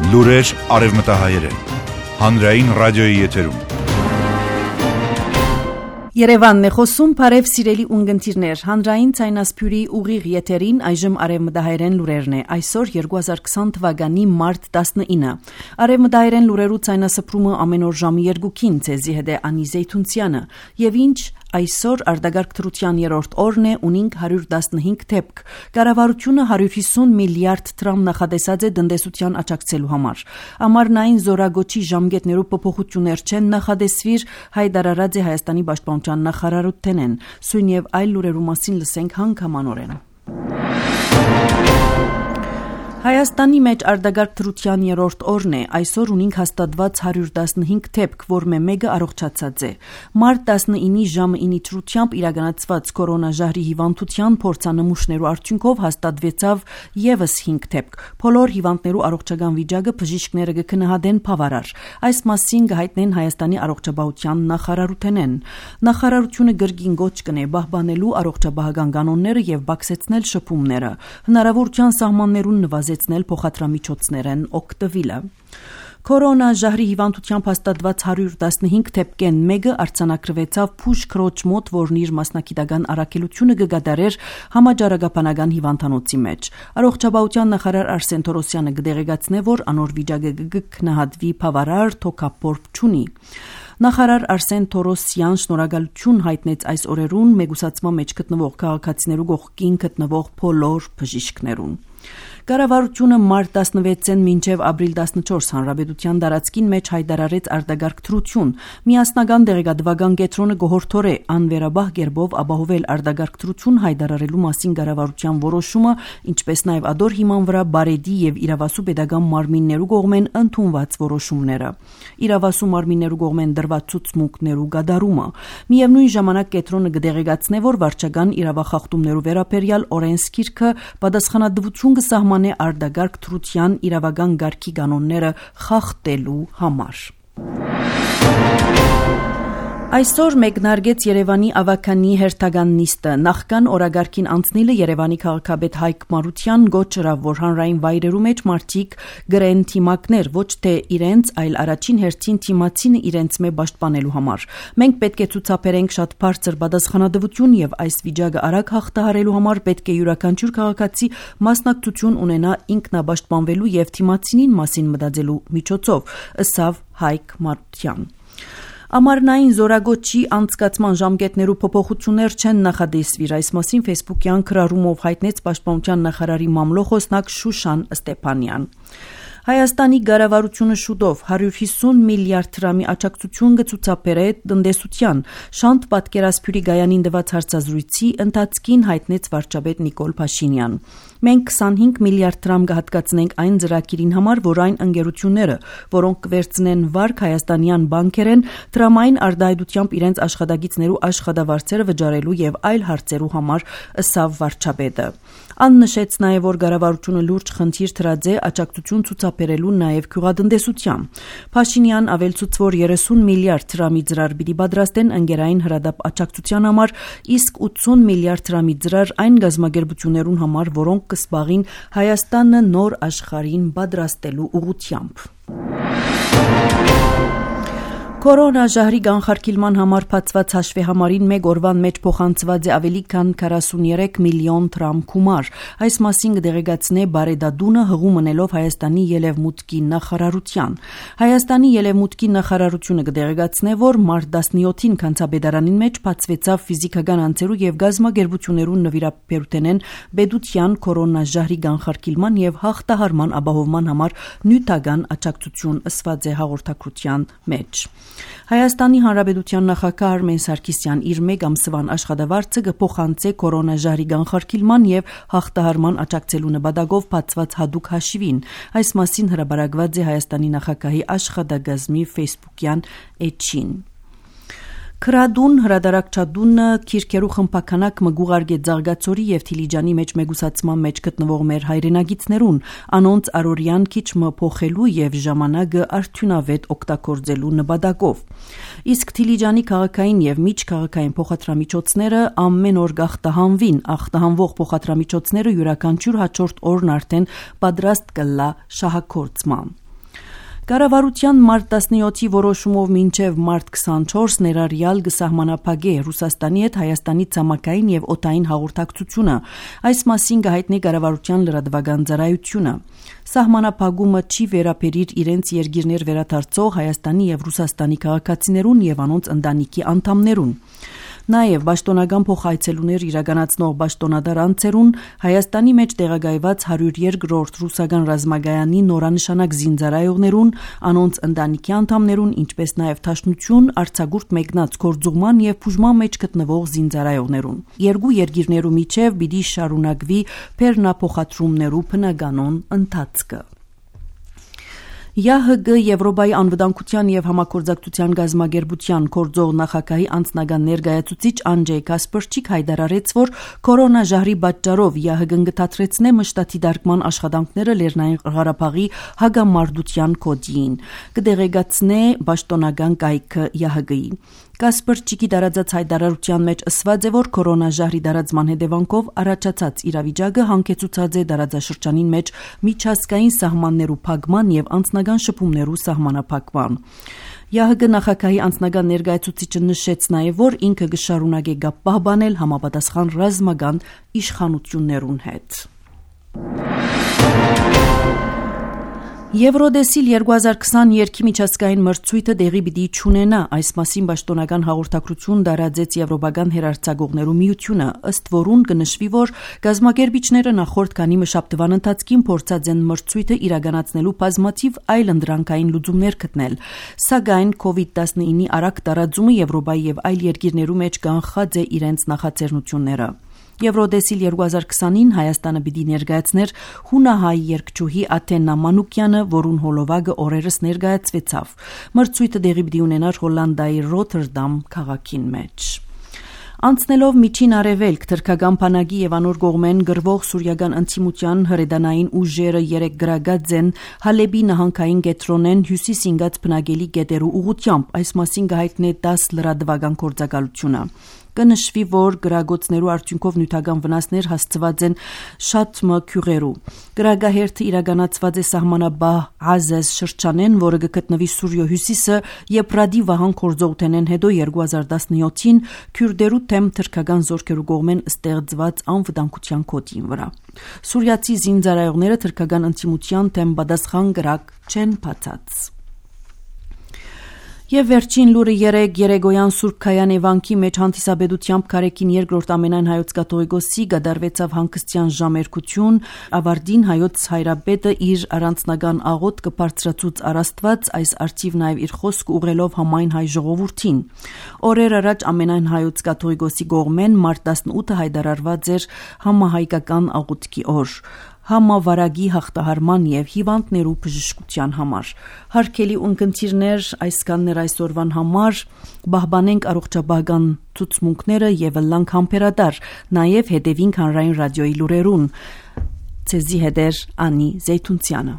Լուրեր արևմտահայերեն։ Հանրային ռադիոյի եթերում։ Երևանն է խոսում, բարև սիրելի ունգընտիրներ, հանրային ցայնասփյուրի ուղիղ եթերին այժմ արևմտահայերեն լուրերն է, այսօր 2020 թվականի մարտ 19։ Արևմտահայերեն լուրերու ցայնասփրումը ամեն օր ժամի 2-ին ցեզի հետ է Անի Զեյթունցյանը, եւ ինչ այսօր արտագաղթ դրության 3-րդ օրն է, ունենք 115 դեպք։ Կառավարությունը 150 միլիարդ դրամ նախատեսած է տնտեսության աջակցելու համար։ Ամառնային զորագոչի ժամկետներու փոփոխություններ չեն նախադեсվիր, հայտարարած է Հայաստանի պաշտպանության նախարարութենեն։ Սույն եւ այլ լուրերու մասին լսենք հանգամանորեն։ Հայաստանի մեջ արտագաղթ դրության 3-րդ օրն է, այսօր ունենք հաստատված 115 դեպք, որմե մեկը առողջացած է։ Մարտ 19-ի ժամը 9 դրությամբ իրականացված կորոնաժահրի հիվանդության փորձանմուշներու արդյունքով հաստատվեցավ եւս 5 դեպք։ Բոլոր հիվանդներու առողջական վիճակը բժիշկները կգնահատեն բավարար։ Այս մասին կհայտնեն Հայաստանի առողջապահության նախարարութենեն։ Նախարարությունը գրգին գոչ կնե պահպանելու առողջապահական կանոնները եւ բացեցնել շփումները։ Հնարավորության սահմաններուն նվազեցնել փոխադրամիջոցներեն օգտվելը։ Կորոնաժահրի հիվանդությամբ հաստատված 115 դեպքեն մեկը արձանագրվեցավ Փուշ քրոջ մոտ, որն իր մասնակիտական առաքելությունը կգադարեր համաճարակաբանական հիվանդանոցի մեջ։ Առողջապահության նախարար Արսեն Թորոսյանը կդեղեկացնե, որ անոր վիճակը կգնահատվի բավարար, թոքապորբ չունի։ Նախարար Արսեն Թորոսյան շնորհակալություն հայտնեց այս օրերուն մեգուսացման մեջ գտնվող քաղաքացիներու կողքին գտնվող բոլոր բժիշկներուն։ Կառավարությունը մարտ 16-ին մինչև ապրիլ 14 հանրապետության տարածքին մեջ հայտարարեց արտագաղթ դրություն։ Միասնական դեղեկատվական կենտրոնը գոհորթոր է անվերաբահ կերպով ապահովել արտագաղթ դրություն հայտարարելու մասին կառավարության որոշումը, ինչպես նաև ադոր հիման վրա բարեդի եւ իրավասու pedagogan մարմիններու կողմեն ընդունված որոշումները։ Իրավասու մարմիններու կողմեն դրված ցուցմունքներու գդարումը։ Միևնույն ժամանակ կենտրոնը կդեղեկացնե, որ վարչական իրավախախտումներու վերաբերյալ օրենսգիրքը պատասխանատվություն կսահմանե արտագաղթ դրության իրավական գարքի կանոնները խախտելու համար։ Այսօր մեկնարկեց Երևանի ավականի հերթական նիստը։ Նախքան օրագարքին անցնիլը Երևանի քաղաքապետ Հայկ Մարության գոչրավ, որ հանրային վայրերու մեջ մարդիկ գրեն թիմակներ, ոչ թե իրենց, այլ առաջին հերթին թիմացինը իրենց մե պաշտպանելու համար։ Մենք պետք է ցուցաբերենք շատ բարձր պատասխանատվություն եւ այս վիճակը արագ հաղթահարելու համար պետք է յուրաքանչյուր քաղաքացի մասնակցություն ունենա ինքնապաշտպանվելու եւ թիմացինին մասին մտածելու միջոցով, ըսավ Հայկ Մարության։ Ամառնային զորագոչի անցկացման ժամկետներու փոփոխություններ չեն նախադեсվիր, այս մասին Facebook-յան քրարումով հայտնեց պաշտպանության նախարարի մամլոխոսնակ Շուշան Ստեփանյան։ Հայաստանի կառավարությունը շուտով 150 միլիարդ դրամի աջակցություն կցուցաբերե տնտեսության, շանտ պատկերասփյուրի գայանին տված հարցազրույցի ընթացքին հայտնեց վարչապետ Նիկոլ Փաշինյան։ Մենք 25 միլիարդ դրամ կհատկացնենք այն ծրագիրին համար, որ այն ընկերությունները, որոնք կվերցնեն վարկ հայաստանյան բանկերեն, դրամային արտահայտությամբ իրենց աշխատագիցներու աշխատավարձերը վճարելու եւ այլ հարցերու համար, ըսավ վարչապետը։ Աննշեց նաև, որ կառավարությունը լուրջ խնդիր դրած է աջակցություն ցուցաբերելու նաև գյուղատնտեսության։ Փաշինյան ավելցուց, որ 30 միլիարդ դրամի ծրար պիտի պատրաստեն ընկերային հրադապ աջակցության համար, իսկ 80 միլիարդ դրամի ծրար այն գազམ་ագերբություններուն համար, որոնք կսպաղին Հայաստանը նոր աշխարհին պատրաստելու ուղղությամբ։ Կորոնաժահրի կանխարգելման համար բացված հաշվեհամարին մեկ օրվան մեջ փոխանցված է ավելի քան 43 միլիոն դրամ գումար։ Այս մասին կդեղեկացնե Բարեդադունը հղում ընելով Հայաստանի ելևմուտքի նախարարության։ Հայաստանի ելևմուտքի նախարարությունը կդեղեկացնե, որ մարտ 17-ին Քանցապետարանին մեջ բացվեցավ ֆիզիկական անձերու եւ գազམ་ագերբություններու նվիրաբերութենեն Բեդության կորոնաժահրի կանխարգելման եւ հաղթահարման ապահովման համար նյութական աջակցություն ըսված է հաղորդակցության մեջ։ Հայաստանի Հանրապետության նախագահ Արմեն Սարգսյան իր մեկ ամսվան աշխատավարձը կփոխանցե կորոնաժահրի կանխարգելման եւ հաղթահարման աջակցելու նպատակով բացված հատուկ հաշիվին։ Այս մասին հրապարակված է Հայաստանի նախագահի աշխատակազմի Facebook-յան էջին։ Քրադուն հրադարակչադունը քիրքերու խմբականակ մգուղարգե Ձարգացորի եւ Թիլիջանի մեջ մեգուսացման մեջ գտնվող մեր հայրենագիցներուն անոնց արորյան քիչ մը փոխելու եւ ժամանակը արդյունավետ օգտագործելու նպատակով։ Իսկ Թիլիջանի քաղաքային եւ միջքաղաքային փոխադրամիջոցները ամեն օր գախտահանվին, ախտահանվող փոխադրամիջոցները յուրաքանչյուր հաջորդ օրն արդեն պատրաստ կլա շահագործման։ Կառավարության մարտ 17-ի որոշումով մինչև մարտ 24 ներառյալ կսահմանափակե Ռուսաստանի հետ Հայաստանի ցամաքային եւ օդային հաղորդակցությունը, այս մասին կհայտնի կառավարության լրատվական ծառայությունը։ Սահմանափակումը չի վերաբերիր իրենց երկիրներ վերադարձող Հայաստանի եւ Ռուսաստանի քաղաքացիներուն եւ անոնց ընտանիքի անդամներուն։ Նաև պաշտոնական փոխայցելուներ իրականացնող պաշտոնատար անձերուն Հայաստանի մեջ տեղակայված 102-րդ ռուսական ռազմագայանի նորանշանակ զինծառայողներուն, անոնց ընտանիքի անդամներուն, ինչպես նաև Դաշնություն, արձակուրդ մեկնած գործուղման եւ բուժման մեջ գտնվող զինծառայողներուն։ Երկու երկիրներու միջև պիտի շարունակվի բեռնափոխադրումներու բնականոն ընթացքը։ ԵԱՀԳ Եվրոպայի անվտանգության եւ համագործակցության գազագերբության գործող նախագահի անձնական ներկայացուցիչ Անջեյ Կասպրչիկ հայտարարեց, որ կորոնաժահրի պատճառով ԵԱՀԳ-ն կդադրեցնե մշտաթի դարկման աշխատանքները Լեռնային Ղարաբաղի հագամարտության կոդին, կդեղեկացնե պաշտոնական կայքը ԵԱՀԳ-ի։ Կասպրչիկի դարածած հայտարարության մեջ ասված է, որ կորոնաժահրի դարածման հետևանքով առաջացած իրավիճակը հանգեցուցած է դարածաշրջանին մեջ միջազգային սահմաններու փակման եւ անձնական շփումներու սահմանափակման։ ԵԱՀԳ նախագահի անձնական ներկայացուցիչը նշեց նաև, որ ինքը կշարունակի կապ պահպանել համապատասխան ռազմական իշխանություններուն հետ։ Եվրոդեսիլ 2022 միջազգային մրցույթը դեղի պիտի չունենա, այս մասին պաշտոնական հաղորդակցություն տարածեց Եվրոպական հեռարձակողներու միությունը, ըստ որուն կնշվի, որ գազագերբիչները նախորդ քանի մշաբթվան ընթացքին փորձած են մրցույթը իրականացնելու բազմաթիվ այլ ընդրանքային լուծումներ գտնել, սակայն COVID-19-ի արագ տարածումը Եվրոպայի եւ այլ երկիրներու մեջ կանխած է իրենց նախաձեռնությունները։ Եվրոդեսիլ 2020-ին Հայաստանը պիտի ներկայացներ հունահայ երգչուհի Աթենա Մանուկյանը, որուն հոլովակը օրերս ներկայացվեցավ։ Մրցույթը դեղի պիտի ունենար Հոլանդիայի Ռոթերդամ քաղաքին մեջ։ Անցնելով միջին արևելք, թրքական բանակի եւ անոր կողմեն գրվող սուրիական ընդդիմության հրետանային ուժերը 3 գրագած են Հալեբի նահանգային կետրոնեն հյուսիս ինգած բնակելի գետերու ուղությամբ, այս մասին կհայտնի 10 լրատվական գործակալությունը։ Կնշվի, որ գրագոցներու արդյունքով նյութական վնասներ հասցված են շատ մքյուղերու։ Գրագահերթը իրականացված է սահմանաբահ Ազեզ շրջանեն, որը գտնվի Սուրիո հյուսիսը եւ Ռադի վահան կորձողութենեն հետո 2017-ին քյուրդերու թեմ թրքական զորքերու կողմեն ստեղծված անվտանգության կոդին վրա։ Սուրիացի զինծառայողները թրքական ընդդիմության թեմ պատասխան գրակ չեն բացած։ Եվ վերջին լուրը երեգոյան Սուրբ Քայան Էվանքի մեջ հանդիսաբեդությամբ Քարեկին երկրորդ ամենայն հայոց կաթողիկոսի գդարվեցավ հանգստյան ժամերկություն, ավարտին հայոց հայրապետը իր առանձնական աղոտ կբարձրացուց առաստված, այս արդիվ նաև իր խոսք ուղղելով համայն հայ ժողովրդին։ Օրեր առաջ ամենայն հայոց կաթողիկոսի կողմեն մարտ 18-ը հայտարարված էր համահայկական աղոթքի օր, համավարագի հաղթահարման եւ հիվանդներու բժշկության համար։ Հարգելի ունկնդիրներ, այսքաններ այսօրվան համար, պահպանենք առողջապահական ցուցմունքները եւ լանք համբերատար, նաեւ հետեւինք հանրային ռադիոյի լուրերուն։ Ցեզի հետեր Անի Զեյթունցյանը։